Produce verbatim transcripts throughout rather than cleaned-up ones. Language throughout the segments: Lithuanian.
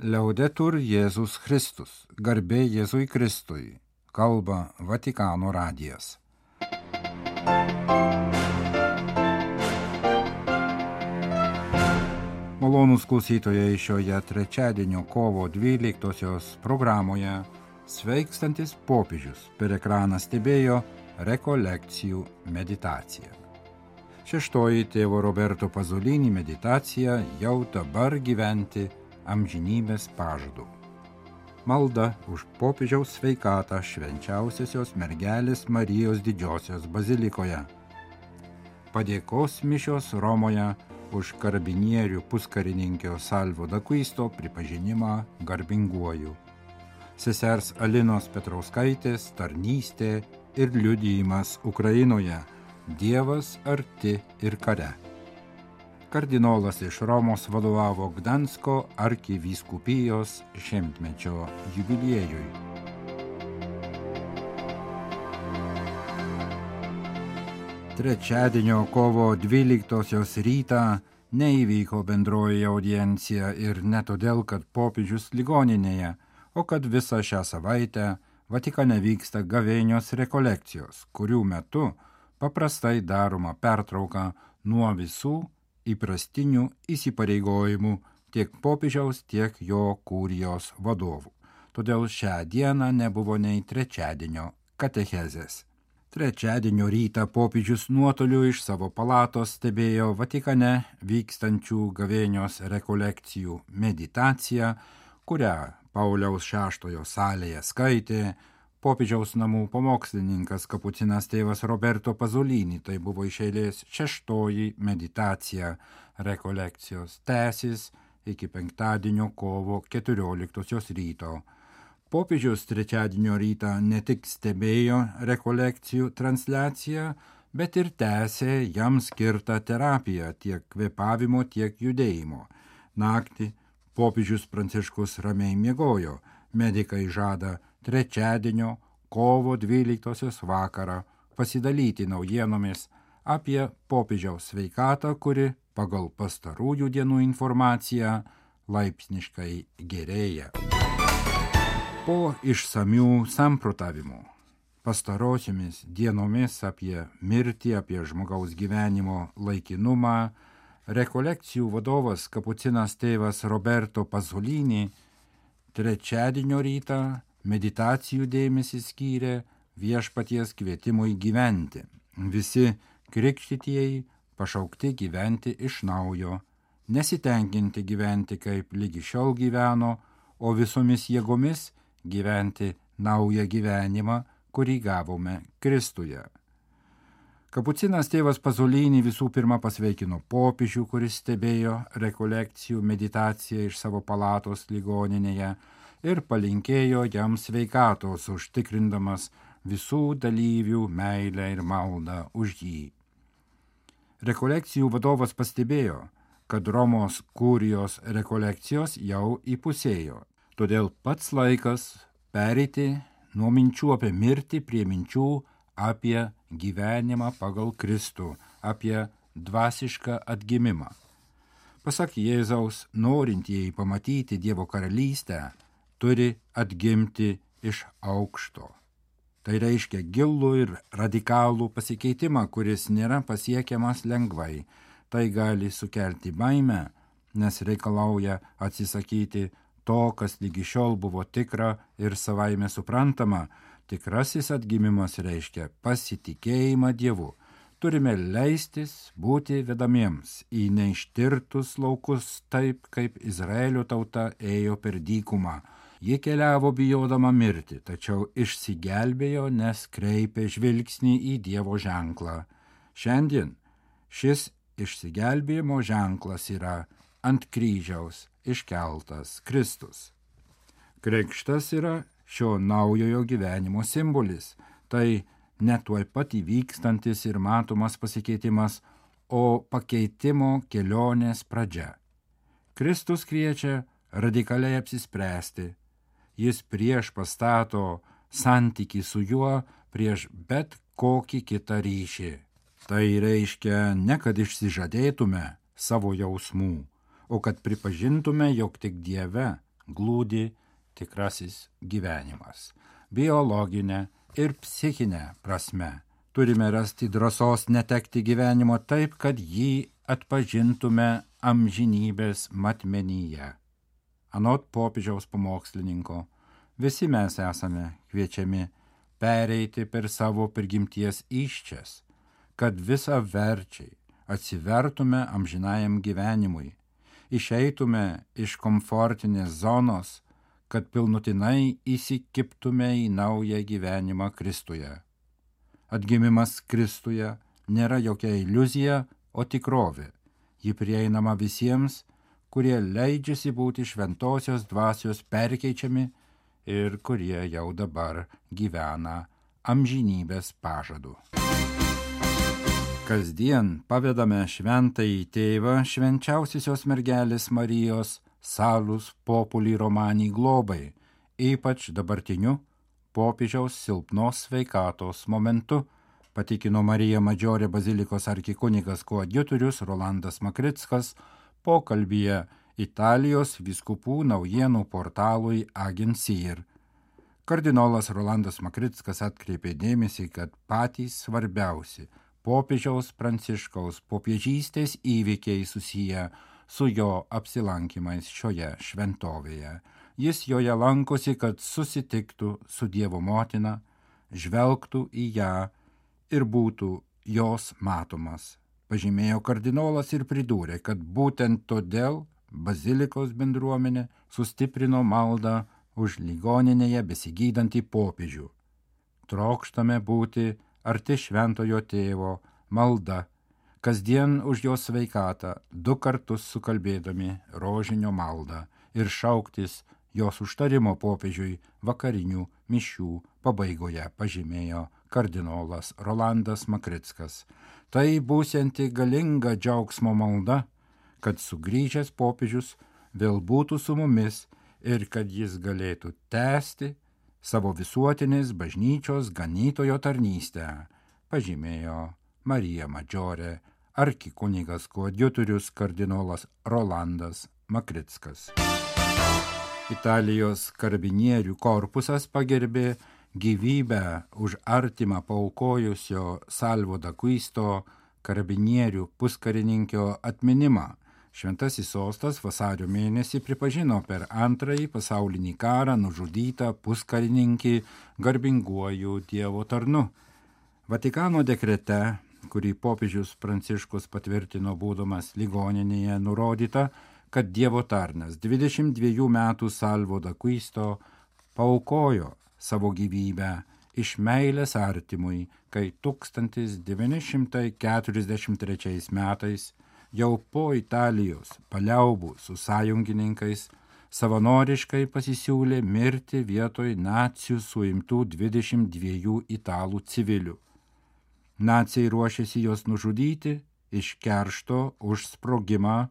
Liaudetur Jėzus Kristus, garbė Jėzui Kristui, kalba Vatikano radijas. Malonūs klausytojai, šioje trečiadienio kovo dvyliktosios programoje sveikstantis popiežius per ekraną stebėjo rekolekcijų meditaciją. Šeštoji tėvo Roberto Pasolini meditacija jau dabar gyventi amžinybės pažadu. Malda už popiežiaus sveikatą švenčiausiosios mergelės Marijos Didžiosios bazilikoje. Padėkos mišios Romoje už karabinierių puskarininkio Salvo d'Acquisto pripažinimą garbinguoju. Sesers Alinos Petrauskaitės tarnystė ir liudijimas Ukrainoje. Dievas arti ir kare. Kardinolas iš Romos vadovavo Gdansko arkivyskupijos šimtmečio jubiliejui. Trečiadienio kovo dvyliktosios rytą neįvyko bendroji audiencija ir ne todėl, kad popiežius ligoninėje, o kad visą šią savaitę Vatikane vyksta gavėnios rekolekcijos, kurių metu paprastai daroma pertrauka nuo visų įprastinių įsipareigojimų tiek popiežiaus, tiek jo kurijos vadovų. Todėl šią dieną nebuvo nei trečiadienio katechezės. Trečiadienio rytą popiežius nuotoliu iš savo palatos stebėjo Vatikane vykstančių gavėnios rekolekcijų meditaciją, kurią Pauliaus šeštojo salėje skaitė popiežiaus namų pamokslininkas kapucinas tėvas Roberto Pasolini. Tai buvo iš eilės šeštoji meditacija rekolekcijos, tęsis iki penktadienio kovo keturioliktosios ryto. Popiežius trečiadienio rytą ne tik stebėjo rekolekcijų transliaciją, bet ir tęsė jam skirtą terapiją tiek kvėpavimo, tiek judėjimo. Naktį popiežius Pranciškus ramiai miegojo. Medikai žada trečiadienio kovo dvyliktosios vakarą pasidalyti naujienomis apie popiežiaus sveikatą, kuri pagal pastarųjų dienų informaciją laipsniškai gerėja. Po išsamių samprotavimų pastarosiomis dienomis apie mirtį, apie žmogaus gyvenimo laikinumą, rekolekcijų vadovas kapucinas tėvas Roberto Pasolini trečiadienio rytą meditacijų dėmesį skyrė viešpaties kvietimui gyventi. Visi krikštytieji pašaukti gyventi iš naujo, nesitenkinti gyventi kaip lygi šiol gyveno, o visomis jėgomis gyventi naują gyvenimą, kurį gavome Kristuje. Kapucinas tėvas Pasolini visų pirma pasveikino popiežių, kuris stebėjo rekolekcijų meditaciją iš savo palatos ligoninėje ir palinkėjo jam sveikatos, užtikrindamas visų dalyvių meilę ir maldą už jį. Rekolekcijų vadovas pastebėjo, kad Romos kurijos rekolekcijos jau įpusėjo, todėl pats laikas pereiti nuo minčių apie mirtį prie minčių apie gyvenimą pagal Kristų, apie dvasišką atgimimą. Pasak Jėzaus, norintieji pamatyti Dievo karalystę, turi atgimti iš aukšto. Tai reiškia gilų ir radikalų pasikeitimą, kuris nėra pasiekiamas lengvai. Tai gali sukelti baimę, nes reikalauja atsisakyti to, kas lygi šiol buvo tikra ir savaime suprantama. Tikrasis atgimimas reiškia pasitikėjimą Dievu. Turime leistis būti vedamiems į neištirtus laukus taip, kaip Izraelio tauta ėjo per dykumą. Ji keliavo bijodama mirti, tačiau išsigelbėjo, nes kreipė žvilgsnį į Dievo ženklą. Šiandien šis išsigelbėjimo ženklas yra ant kryžiaus iškeltas Kristus. Krikštas yra šio naujojo gyvenimo simbolis. Tai ne tuoj pat įvykstantis ir matomas pasikeitimas, o pakeitimo kelionės pradžia. Kristus kviečia radikaliai apsispręsti. Jis prieš pastato santykį su juo prieš bet kokį kitą ryšį. Tai reiškia ne kad išsižadėtume savo jausmų, o kad pripažintume, jog tik Dieve glūdi tikrasis gyvenimas. Biologinė ir psichinė prasme turime rasti drąsos netekti gyvenimo taip, kad jį atpažintume amžinybės matmenyje. Anot popiežiaus pamokslininko, visi mes esame kviečiami pereiti per savo prigimties įsčias, kad visa verčiai atsivertume amžinajam gyvenimui, išeitume iš komfortinės zonos, kad pilnutinai įsikibtume į naują gyvenimą Kristuje. Atgimimas Kristuje nėra jokia iliuzija, o tikrovė. Ji prieinama visiems, kurie leidžiasi būti šventosios dvasios perkeičiami ir kurie jau dabar gyvena amžinybės pažadu. Kasdien pavedame šventąjį tėvą švenčiausiosios mergelės Marijos Salus Populi Romani globai, ypač dabartiniu popiežiaus silpnos sveikatos momentu, patikino Marija Madžiorė bazilikos arkikunigas koadjutorius Rolandas Makrickas pokalbyje Italijos vyskupų naujienų portalui Agencir. Kardinolas Rolandas Makrickas atkreipė dėmesį, kad patys svarbiausi popiežiaus Pranciškaus popiežystės įvykiai susiję su jo apsilankymais šioje šventovėje. Jis joje lankosi, kad susitiktų su Dievo motina, žvelgtų į ją ir būtų jos matomas. Pažymėjo kardinolas ir pridūrė, kad būtent todėl bazilikos bendruomenė sustiprino maldą už ligoninėje besigydantį popiežių. Trokštame būti arti šventojo tėvo malda, kasdien už jo sveikatą, du kartus sukalbėdami rožinio maldą ir šauktis jos užtarimo popiežiui vakarinių mišių pabaigoje, pažymėjo kardinolas Rolandas Makrickas. Tai būsianti galinga džiaugsmo malda, kad sugrįžęs popiežius vėl būtų su mumis ir kad jis galėtų tęsti savo visuotinės bažnyčios ganytojo tarnystę, pažymėjo Marija Madžiorė arkikunigas koadjutorius kardinolas Rolandas Makrickas. Italijos karabinierių korpusas pagerbė gyvybę už artimą paaukojusio Salvo d'Acquisto karabinierių puskarininkio atminimą. Šventasis sostas vasario mėnesį pripažino per antrąjį pasaulinį karą nužudytą puskarininkį garbinguoju Dievo tarnu. Vatikano dekrete, kurį popiežius Pranciškus patvirtino būdamas ligoninėje, nurodyta, kad Dievo tarnas dvidešimt dviejų metų Salvo d'Acquisto paaukojo savo gyvybę iš meilės artimui, kai tūkstantis devyni šimtai keturiasdešimt trečiais metais jau po Italijos paliaubų su sąjungininkais savanoriškai pasisiūlė mirti vietoj nacių suimtų dvidešimt dviejų italų civilių. Naciai ruošėsi juos nužudyti iš keršto už sprogimą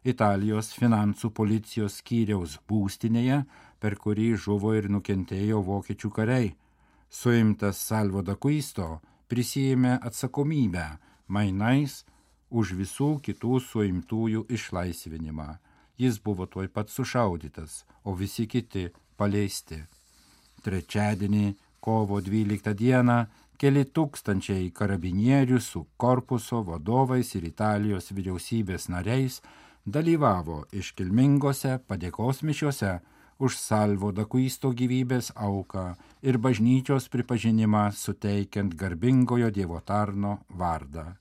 Italijos finansų policijos skyriaus būstinėje, per kurį žuvo ir nukentėjo vokiečių kariai. Suimtas Salvo d'Acquisto prisijėmė atsakomybę mainais už visų kitų suimtųjų išlaisvinimą. Jis buvo tuoj pat sušaudytas, o visi kiti paleisti. Trečiadienį, kovo dvyliktą dieną, keli tūkstančiai karabinierių su korpuso vadovais ir Italijos vyriausybės nariais dalyvavo iškilmingose padėkos mišiose už Salvo d'Acquisto gyvybės auką ir bažnyčios pripažinimą suteikiant garbingojo Dievo tarno vardą.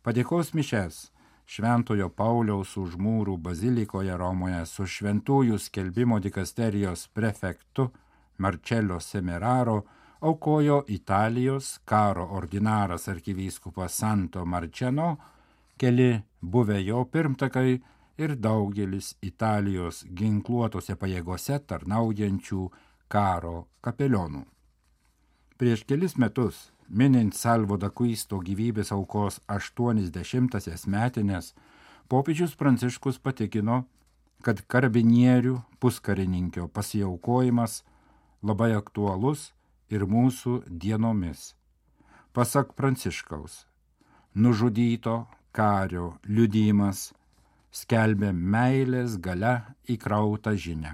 Padėkos mišes Šventojo Pauliaus už mūrų bazilikoje Romoje su šventųjų skelbimo dikasterijos prefektu Marcello Semeraro aukojo Italijos karo ordinaras arkivyskupas Santo Marčeno, keli buvę jo pirmtakai ir daugelis Italijos ginkluotose pajėgose tarnaujančių karo kapelionų. Prieš kelis metus, minint Salvo d'Acquisto gyvybės aukos aštuoniasdešimtąsias metines, popiežius Pranciškus patikino, kad karabinierių puskarininkio pasiaukojimas labai aktualus ir mūsų dienomis. Pasak Pranciškaus, nužudyto kario liudijimas skelbia meilės galia įkrautą žinią.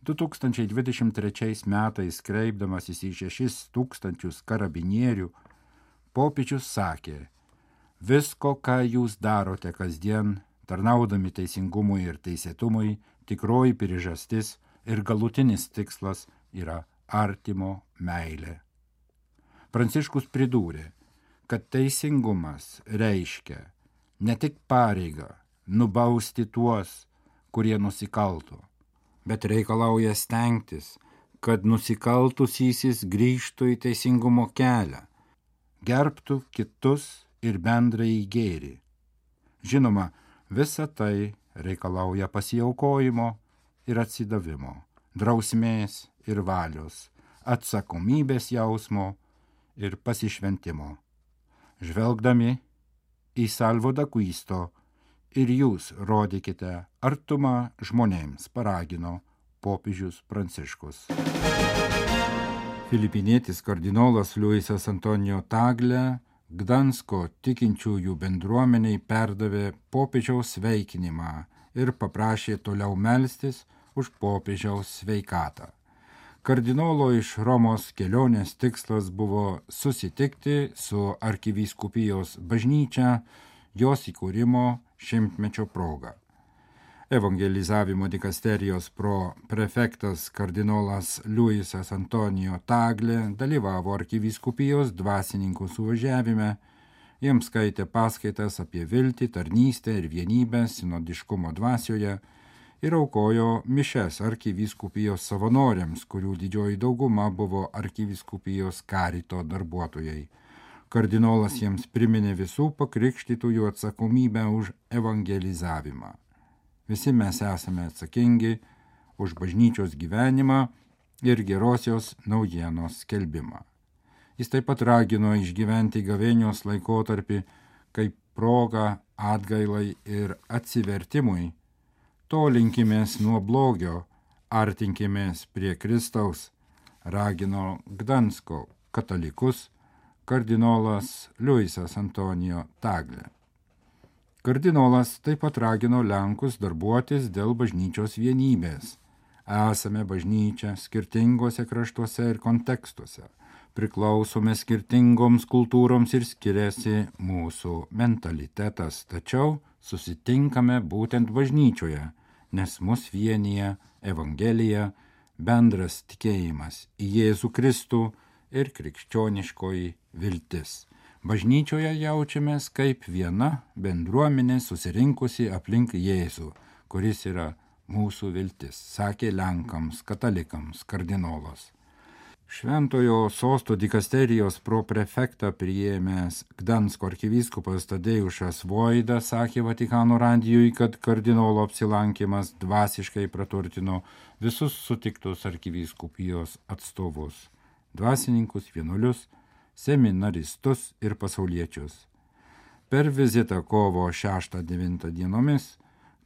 du tūkstančiai dvidešimt trečiais metais kreipdamasis į šešis tūkstančius karabinierių, popiežius sakė: visko, ką jūs darote kasdien, tarnaudami teisingumui ir teisėtumui, tikroji priežastis ir galutinis tikslas yra artimo meilė. Pranciškus pridūrė, kad teisingumas reiškia ne tik pareigą nubausti tuos, kurie nusikalto, bet reikalauja stengtis, kad nusikaltusysis grįžtų į teisingumo kelią, gerbtų kitus ir bendrąjį gėrį. Žinoma, visa tai reikalauja pasiaukojimo ir atsidavimo, drausmės ir valios, atsakomybės jausmo ir pasišventimo. Žvelgdami į Salvo d'Acquisto ir jūs rodykite artumą žmonėms, paragino popiežius Pranciškus. Filipinietis kardinolas Luisas Antonijo Tagle Gdansko tikinčiųjų bendruomeniai perdavė popiežiaus sveikinimą ir paprašė toliau melstis už popiežiaus sveikatą. Kardinolo iš Romos kelionės tikslas buvo susitikti su arkivyskupijos bažnyčia jos įkūrimo šimtmečio proga. Evangelizavimo dikasterijos proprefektas kardinolas Luisas Antonijo Tagle dalyvavo arkivyskupijos dvasininkų suvažiavime, jiems skaitė paskaitas apie viltį, tarnystę ir vienybę sinodiškumo dvasioje ir aukojo mišes arkivyskupijos savanoriams, kurių didžioji dauguma buvo arkivyskupijos karito darbuotojai. Kardinolas jiems priminė visų pakrikštytųjų atsakomybę už evangelizavimą. Visi mes esame atsakingi už bažnyčios gyvenimą ir gerosios naujienos skelbimą. Jis taip pat ragino išgyventi gavėnios laikotarpį kaip progą atgailai ir atsivertimui. Tolinkimės nuo blogio, artinkimės prie Kristaus, ragino Gdansko katalikus kardinolas Luisas Antonijo Tagle. Kardinolas taip pat ragino Lenkus darbuotis dėl bažnyčios vienybės. Esame bažnyčia skirtingose kraštuose ir kontekstuose, priklausome skirtingoms kultūroms ir skiriasi mūsų mentalitetas, tačiau susitinkame būtent bažnyčioje, nes mus vienija Evangelija, bendras tikėjimas į Jėzų Kristų ir krikščioniškoji viltis. Bažnyčioje jaučiamės kaip viena bendruomenė susirinkusi aplink Jėzų, kuris yra mūsų viltis, sakė Lenkams katalikams kardinolas. Šventojo sosto dikasterijos proprefektą priėmęs Gdansko arkivyskupas Tadeušas Voida sakė Vatikano radijui, kad kardinolo apsilankymas dvasiškai praturtino visus sutiktus arkivyskupijos atstovus, dvasininkus, vienuolius, seminaristus ir pasauliečius. Per vizitą kovo šeštą devintą dienomis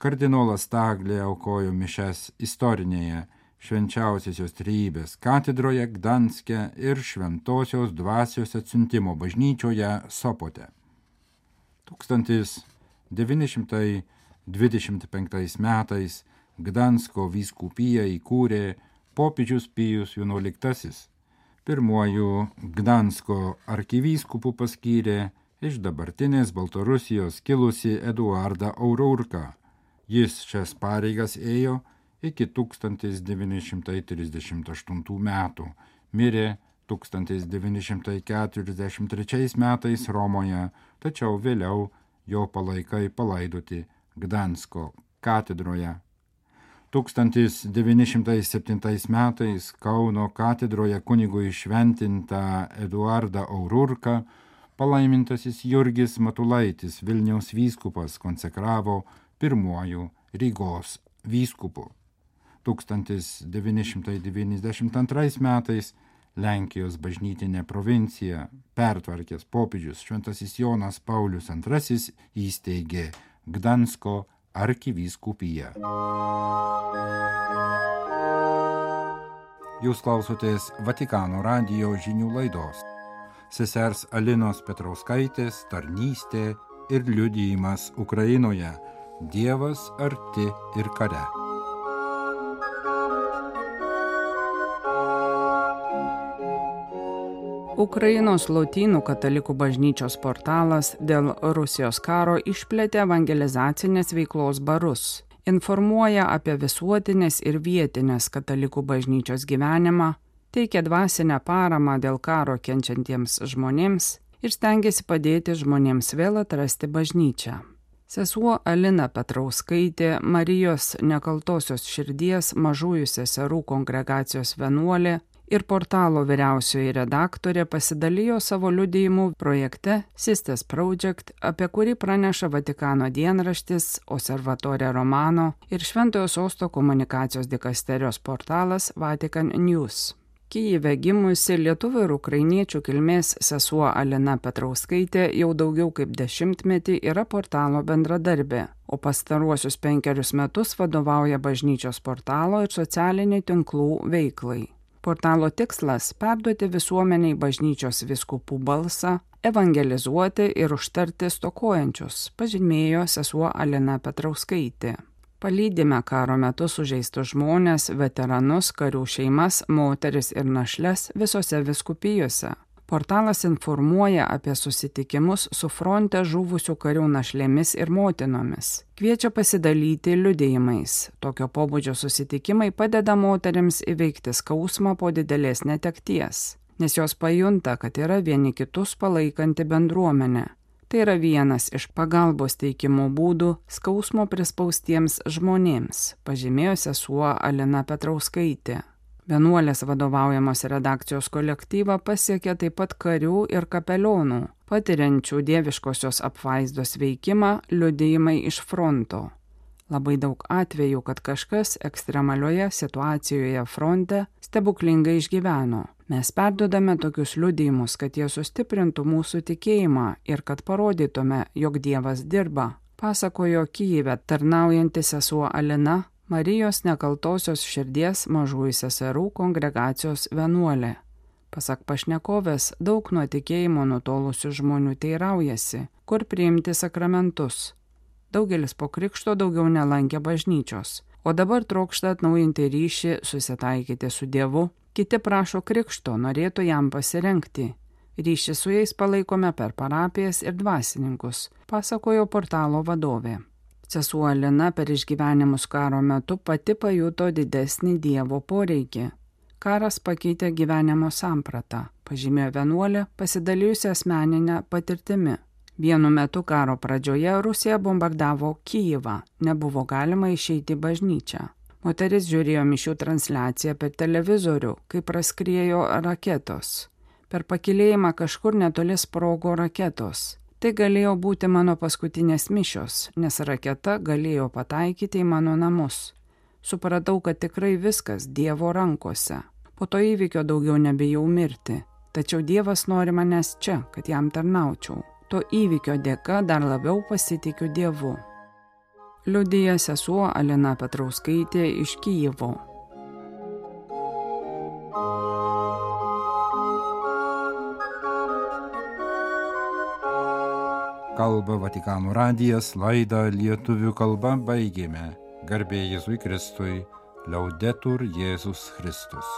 kardinolas Tagle aukojo mišes istorinėje Švenčiausiosios Trejybės katedroje Gdanske ir Šventosios dvasios atsiuntimo bažnyčioje Sopote. tūkstantis devyni šimtai dvidešimt penktais metais Gdansko vyskupiją įkūrė popiežius Pijus vienuoliktasis. Pirmuoju Gdansko arkivyskupu paskyrė iš dabartinės Baltarusijos kilusi Eduardą Aururką. Jis šias pareigas ėjo iki tūkstantis devyni šimtai trisdešimt aštuntų metų, mirė tūkstantis devyni šimtai keturiasdešimt trečiais metais Romoje, tačiau vėliau jo palaikai palaidoti Gdansko katedroje. tūkstantis devyni šimtai septintais metais Kauno katedroje kunigui šventintą Eduardą Aururką palaimintasis Jurgis Matulaitis, Vilniaus vyskupas, konsekravo pirmuoju Rygos vyskupu. tūkstantis devyni šimtai devyniasdešimt antrais metais Lenkijos bažnytinė provincija pertvarkęs popiežius Šventasis Jonas Paulius antrasis įsteigė Gdansko arkivyskupiją. Jūs klausotės Vatikano radijo žinių laidos. Sesers Alinos Petrauskaitės tarnystė ir liudijimas Ukrainoje. Dievas arti ir kare. Ukrainos Lotynų katalikų bažnyčios portalas dėl Rusijos karo išplėtė evangelizacinės veiklos barus, informuoja apie visuotinės ir vietinės katalikų bažnyčios gyvenimą, teikia dvasinę paramą dėl karo kenčiantiems žmonėms ir stengiasi padėti žmonėms vėl atrasti bažnyčią. Sesuo Alina Petrauskaitė, Marijos nekaltosios širdies mažųjų seserų kongregacijos vienuolė ir portalo vyriausioji redaktorė pasidalijo savo liudijimu projekte Sisters Project, apie kurį praneša Vatikano dienraštis Osservatore Romano ir Šventojo Sosto komunikacijos dikasterijos portalas Vatican News. Kyjive gimusi lietuvių ir ukrainiečių kilmės sesuo Alina Petrauskaitė jau daugiau kaip dešimtmetį yra portalo bendradarbė, o pastaruosius penkerius metus vadovauja bažnyčios portalo ir socialinių tinklų veiklai. Portalo tikslas – perduoti visuomeniai bažnyčios vyskupų balsą, evangelizuoti ir užtarti stokojančius, pažymėjo sesuo Alina Petrauskaitė. Palydime karo metu sužeistus žmonės, veteranus, karių šeimas, moteris ir našles visose vyskupijose. Portalas informuoja apie susitikimus su fronte žuvusių karių našlėmis ir motinomis. Kviečia pasidalyti liudijimais. Tokio pobūdžio susitikimai padeda moterims įveikti skausmą po didelės netekties, nes jos pajunta, kad yra vieni kitus palaikanti bendruomenė. Tai yra vienas iš pagalbos teikimo būdų skausmo prispaustiems žmonėms, pažymėjo sesuo Alina Petrauskaitė. Vienuolės vadovaujamos redakcijos kolektyvą pasiekė taip pat karių ir kapelionų, patiriančių dieviškosios apvaizdos veikimą liudijimai iš fronto. Labai daug atvejų, kad kažkas ekstremalioje situacijoje fronte stebuklingai išgyveno. Mes perduodame tokius liudijimus, kad jie sustiprintų mūsų tikėjimą ir kad parodytume, jog Dievas dirba, pasakojo Kyjive tarnaujanti sesuo Alina, Marijos nekaltosios širdies mažųjų seserų kongregacijos vienuolė. Pasak pašnekovės, daug nuo tikėjimo nutolusių žmonių teiraujasi, kur priimti sakramentus. Daugelis po krikšto daugiau nelankė bažnyčios, o dabar trokšta atnaujinti ryšį, susitaikyti su Dievu. Kiti prašo krikšto, norėtų jam pasirengti. Ryšį su jais palaikome per parapijas ir dvasininkus, pasakojo portalo vadovė. Sesuo Alina per išgyvenimus karo metu pati pajuto didesnį Dievo poreikį. Karas pakeitė gyvenimo sampratą, pažymėjo vienuolė, pasidalijusi asmeninę patirtimi. Vienu metu karo pradžioje Rusija bombardavo Kyjivą, nebuvo galima išeiti į bažnyčią. Moteris žiūrėjo mišių transliaciją per televizorių, kai praskriejo raketos. Per pakilėjimą kažkur netoli sprogo raketos. Tai galėjo būti mano paskutinės mišios, nes raketa galėjo pataikyti į mano namus. Supratau, kad tikrai viskas Dievo rankose. Po to įvykio daugiau nebijau mirti. Tačiau Dievas nori manęs čia, kad jam tarnaučiau. To įvykio dėka dar labiau pasitikiu Dievu. Liudija sesuo Alina Petrauskaitė iš Kyjivo. Kalba Vatikano radijas, laidą lietuvių kalba baigėme. Garbė Jėzui Kristui, Laudetur Jėzus Kristus.